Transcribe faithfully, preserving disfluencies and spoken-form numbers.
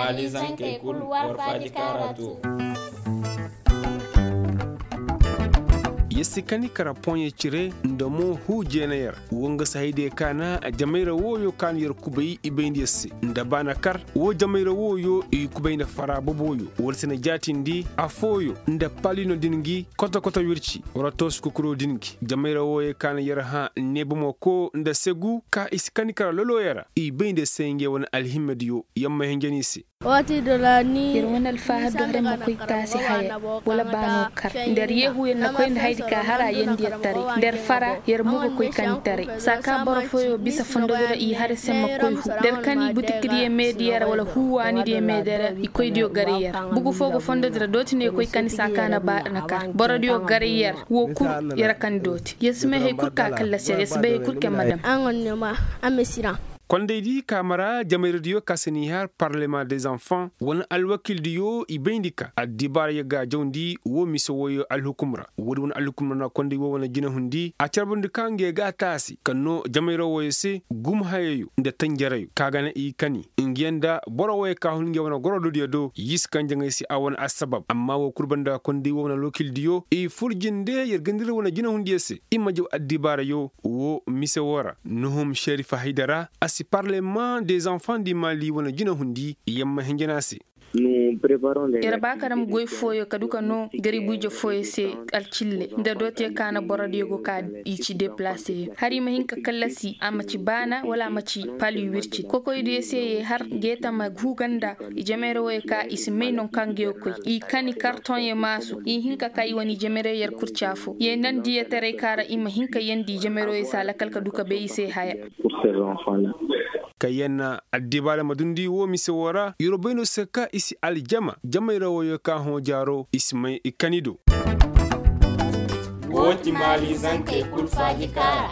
Alizankey kul war faaji kaara too. Yer si kani kara poɲe cire nda mo huu jeena yer. Wo nga si haydiyo kaana jamayra wooyo kaana yer kubay i bayndi yer se nda baana kar. Wo jamayra wooyo i kubay nda fara boboyo wala si na jaatindi afooyo nda palino din gi koto koto wirci wala toosi kukuro din gi jamayra wooyo kaana yer hã neebomo koo nda segu ka i si kani kara lolooyo ra i bayndi yer se ngey wane alhimmediyo. Yamma hinjani se. Yer wane alfaahar do har yer ma koy taasi haya wala baano kar nda yer yeehu yer na koy nda hayadi ka har a yeendi yer taray nda yer fara yer mo ga koy kani taray. Saa ka boro fooyo bisa fondodi ra i har yer se ma koy huu nda yer kani butikdiyo meediyo ra wala huu waanidiyo meediyo ra i koydiyo garay yer. Bugu foo ga fondodi ra dooti no yer koy kani saa ka na baana kar borodiyo garay yer. Woo kul yer kani dooti yer si may hari kul ka kallasi yer yer si bay hari kul kaŋ ma dam. Kondaydi kaama ra jamayradiyo ka se n'i har parlema des enfants wane alwakildiyo i bayndi ka addibaarayo ga a jawndi woo mise wooyo alhukum ra. Woodi wane alhukum ra na konday woo wane jinahundi a carbandi ka ngey ga a taasi kaŋ no jamayra wooyo se gumhayayo nda tanjarayo ka ga na i kani. Ngey nda boro wooyo ka hun ngey wane gorododiyo do y'i si kaŋ jaŋay se a wane assabab amma woo kul banda konday woo wane alwakildiyo i fur jinde yer gandira wane jinahundiyo se i ma jaw addibaarayo. Woo mise woo ra nuhum šerifa haydara a si parlema des enfants di mali wane jinahundi yamma hinjana se. Yer ba ka dam goy fooyo ka du ka noo garibu-ije fooyo se alcille nda dootiyo ka na borodiyo go ka i ci deplaseyo har i ma hin ka kallasi a ma ci baana wala a ma ci pali wirci kokoydiyo se ye har geeta ma huu ganda. I jamayra wooyo ka i si may non ka ngey ga koy i kani kartoŋyo maasu i hin ka ka i wane i jamayra yer kurca fo ye nandi yetaray ka ra i ma hin ka yeendi i jamayra wooyo se a lakal ka du ka bay i se haya. Ka yer na addibaara ma dundi woo mise woo ra yer wo bay no se ka i si aljama jamayra wooyo ka hõ jaaro i si may i kani do. Woo ti maali zankey kul faaji kaara.